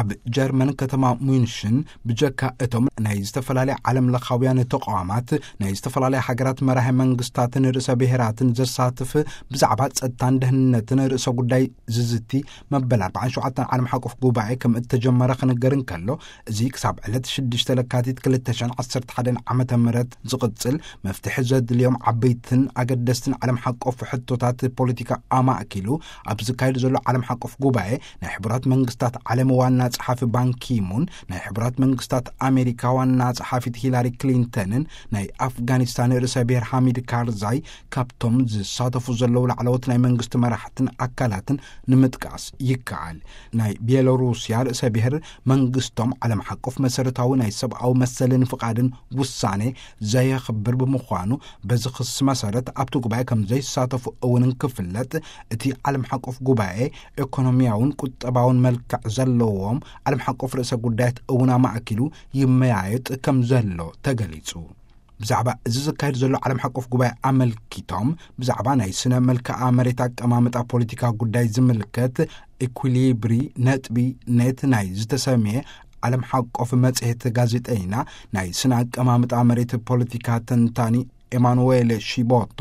ኣብ ጀርመን ከተማ ሙንሽን ብጀካ እቶም ናይ ዝተፈላለያ ዓለም ለኻውያን ተቋማት፣ ናይ ዝተፈላለያ ሃገራት መራሒ መንግስታትን ርእሰ ብሔራትን ዘሳትፍ ብዛዕባ ጸጥታን ደህንነትን ርእሰ ጉዳይ ዝዝቲ መበል ኣርባዓን ሸውዓተን ዓለም ሓቆፍ ጉባኤ ከም እተጀመረ ክንገር እንከሎ፣ እዚ ክሳብ ዕለት ሽዱሽተ ለካቲት ክልተ ሽሕን ዓሰርተ ሓደን ዓመተ ምህረት ዝቕጽል መፍትሒ ዘድልዮም ዓበይትን ኣገደስትን ዓለም ሓቆፍ ሕቶታት ፖለቲካ ኣማእኪሉ ኣብ ዝካየድ ዘሎ ዓለም ሓቆፍ ጉባኤ፣ ናይ ሕቡራት መንግስታት ዓለም ዋና ጸሓፊ ባንኪሙን፣ ናይ ሕቡራት መንግስታት ኣሜሪካ ዋና ጸሓፊት ሂላሪ ክሊንተንን፣ ናይ ኣፍጋኒስታን ርእሰ ብሔር ሓሚድ ካርዛይ ካብቶም ዝሳተፉ ዘለዉ ላዕለዎት ናይ መንግስቲ መራሕትን ኣካላትን ንምጥቃስ ይከኣል። ናይ ቤሎሩስያ ርእሰ ብሔር መንግስቶም ዓለም ሓቆፍ መሰረታዊ ናይ ሰብኣዊ መሰልን ፍቓድን ውሳኔ ዘየኽብር ብምዃኑ፣ በዚ ክሲ መሰረት ኣብቲ ጉባኤ ከም ዘይሳተፉ እውን እንክፍለጥ፣ እቲ ዓለም ሓቆፍ ጉባኤ ኢኮኖሚያውን ቁጠባውን መልክዕ ዘለዎም ዓለም ሓቆፍ ርእሰ ጉዳያት እውን ኣማእኪሉ ይመያየጥ ከም ዘሎ ተገሊጹ። ብዛዕባ እዚ ዝካየድ ዘሎ ዓለም ሓቆፍ ጉባኤ ኣመልኪቶም፣ ብዛዕባ ናይ ስነ መልክዓ መሬት ኣቀማምጣ ፖለቲካ ጉዳይ ዝምልከት ኢኩሊብሪ ነጥቢ ኔት ናይ ዝተሰምየ ዓለም ሓቆፍ መጽሔት ጋዜጠይና፣ ናይ ስነ ኣቀማምጣ መሬት ፖለቲካ ተንታኒ ኤማኑዌል ሺቦቶ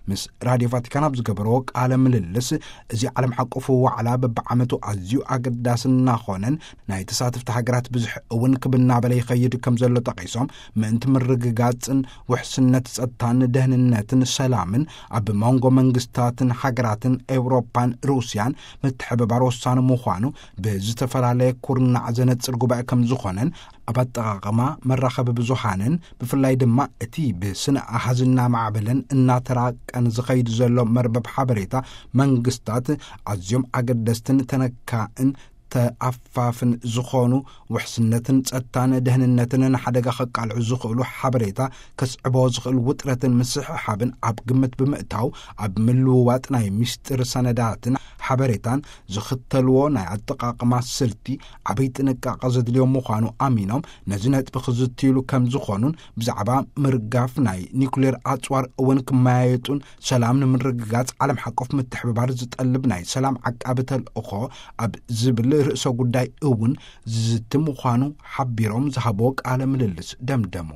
ምስ ራድዮ ቫቲካን ኣብ ዝገበርዎ ቃለ ምልልስ፣ እዚ ዓለም ሓቆፍ ዋዕላ በብዓመቱ ኣዝዩ ኣገዳሲ እናኾነን፣ ናይ ተሳተፍቲ ሃገራት ብዝሒ እውን ክብ እናበለ ይኸይድ ከም ዘሎ ጠቒሶም፣ ምእንቲ ምርግጋጽን ውሕስነት ጸጥታን ደህንነትን ሰላምን ኣብ መንጎ መንግስታትን ሃገራትን ኤውሮፓን ሩስያን ምትሕብባር ወሳኒ ምዃኑ ብዝተፈላለየ ኩርናዕ ዘነጽር ጉባኤ ከም ዝኾነን፣ ኣብ ኣጠቓቕማ መራኸቢ ብዙሃንን ብፍላይ ድማ እቲ ብስነ ኣሃዝ እናማዕበለን እናተራቀን ዝኸይድ ዘሎ መርበብ ሓበሬታ መንግስታት ኣዝዮም ኣገደስትን ተነካእን ተኣፋፍን ዝኾኑ፣ ውሕስነትን ጸጥታን ደህንነትን ንሓደጋ ከቃልዑ ዝኽእሉ ሓበሬታ ከስዕቦ ዝኽእል ውጥረትን ምስሕሓብን ኣብ ግምት ብምእታው፣ ኣብ ምልውዋጥ ናይ ምስጢር ሰነዳትን ሓበሬታን ዝኽተልዎ ናይ ኣጠቓቕማ ስልቲ ዓብይ ጥንቃቐ ዘድልዮ ምዃኑ ኣሚኖም፣ ነዚ ነጥቢ ክዝትይሉ ከም ዝኾኑን፣ ብዛዕባ ምርጋፍ ናይ ኒኩሌር ኣጽዋር እውን ክመያየጡን፣ ሰላም ንምርግጋጽ ዓለም ሓቆፍ ምትሕብባር ዝጠልብ ናይ ሰላም ዓቃቢ ተልእኾ ኣብ ዝብል ርእሰ ጉዳይ እውን ዝዝቲ ምዃኑ ሓቢሮም ዝሃብዎ ቃለ ምልልስ ደምደሙ።